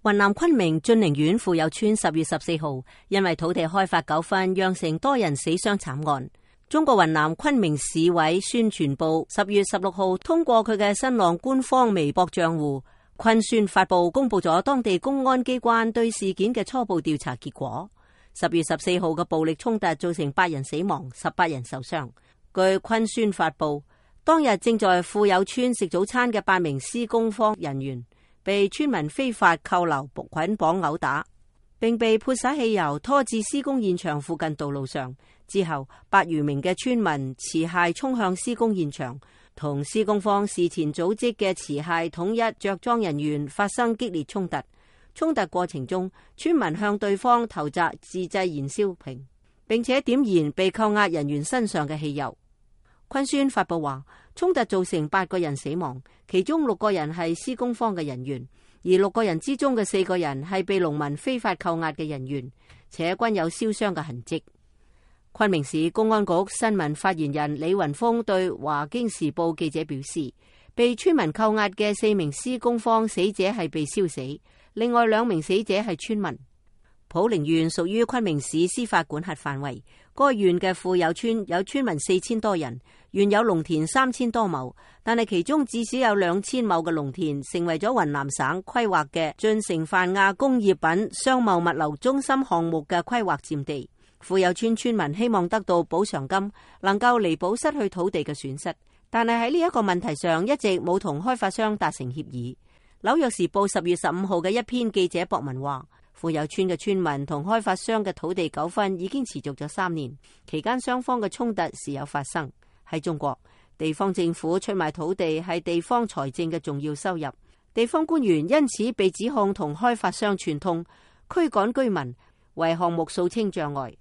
雲南昆明晉寧縣富有村10月14號因為土地開發糾紛釀成多人死傷慘案。中國雲南昆明市委宣傳部10月16號通過佢嘅新浪官方微博賬戶昆宣發布公布咗當地公安機關對事件嘅初步調查結果。10月14號嘅暴力衝突造成8人死亡，18人受傷。據昆宣發布，當日正在富有村食早餐嘅8名施工方人員被村民非法扣留、捆綁毆打，並被潑灑汽油拖至施工現場附近道路上。之後8餘名嘅村民持械衝向施工現場，同施工方事前組織嘅持械統一着裝人員發生激烈衝突。衝突過程中，村民向對方投擲自製燃燒瓶，並且點燃被扣押人員身上嘅汽油。昆宣發布話，衝突造成8個人死亡，其中6個人係施工方嘅人員，而6個人之中嘅4個人係被農民非法扣押嘅人員，且均有燒傷嘅痕跡。昆明市公安局新聞發言人李雲峰對華京時報記者表示，被村民扣押嘅4名施工方死者係被燒死，另外2名死者係村民。普寧縣屬於昆明市司法管轄範圍，該縣嘅富有村有村民4000多人，原有農田3000多畝，但係其中至少有2000畝嘅農田成為咗雲南省規劃嘅進城泛亞工業品商貿物流中心項目嘅規劃佔地。富有村村民希望得到補償金，能夠彌補失去土地嘅損失，但係喺呢一個問題上一直冇同開發商達成協議。紐約時報10月15號嘅一篇記者博文話，富有村嘅村民同開發商嘅土地糾紛已經持續咗3年，期間雙方嘅衝突時有發生。喺中國，地方政府出賣土地係地方財政嘅重要收入，地方官員因此被指控同開發商串通，驅趕居民，為項目掃清障礙。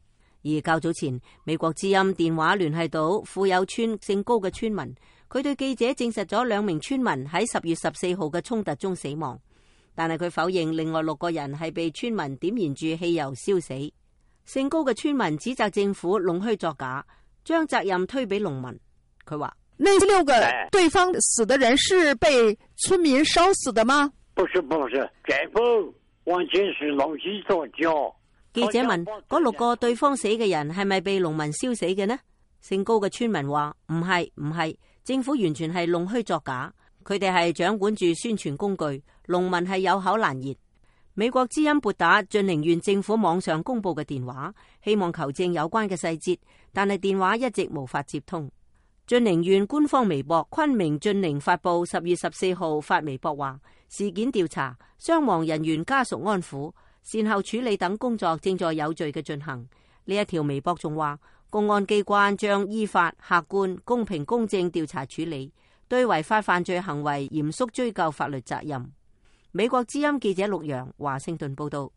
而較早前，美國之音電話聯繫到富有村姓高嘅村民，佢對記者證實咗2名村民喺10月14號嘅衝突中死亡，但係佢否認另外6個人係被村民點燃住汽油燒死。姓高嘅村民指責政府弄虛作假，將責任推俾農民。佢話：那6個對方死的人是被村民燒死的嗎？不是，全部完全是弄虛作假。記者問：嗰6個對方死嘅人係咪被農民燒死嘅呢？姓高嘅村民話：唔係，政府完全係弄虛作假，佢哋係掌管住宣傳工具，農民係有口難言。美國之音撥打晉寧縣政府網上公布嘅電話，希望求證有關嘅細節，但係電話一直無法接通。晉寧縣官方微博昆明晉寧發布10月14號發微博話，事件調查、傷亡人員家屬安撫、善後處理等工作正在有序嘅進行。呢一條微博仲話，公安機關將依法、客觀、公平、公正調查處理，對違法犯罪行為嚴肅追究法律責任。美國之音記者陸洋華盛頓報道。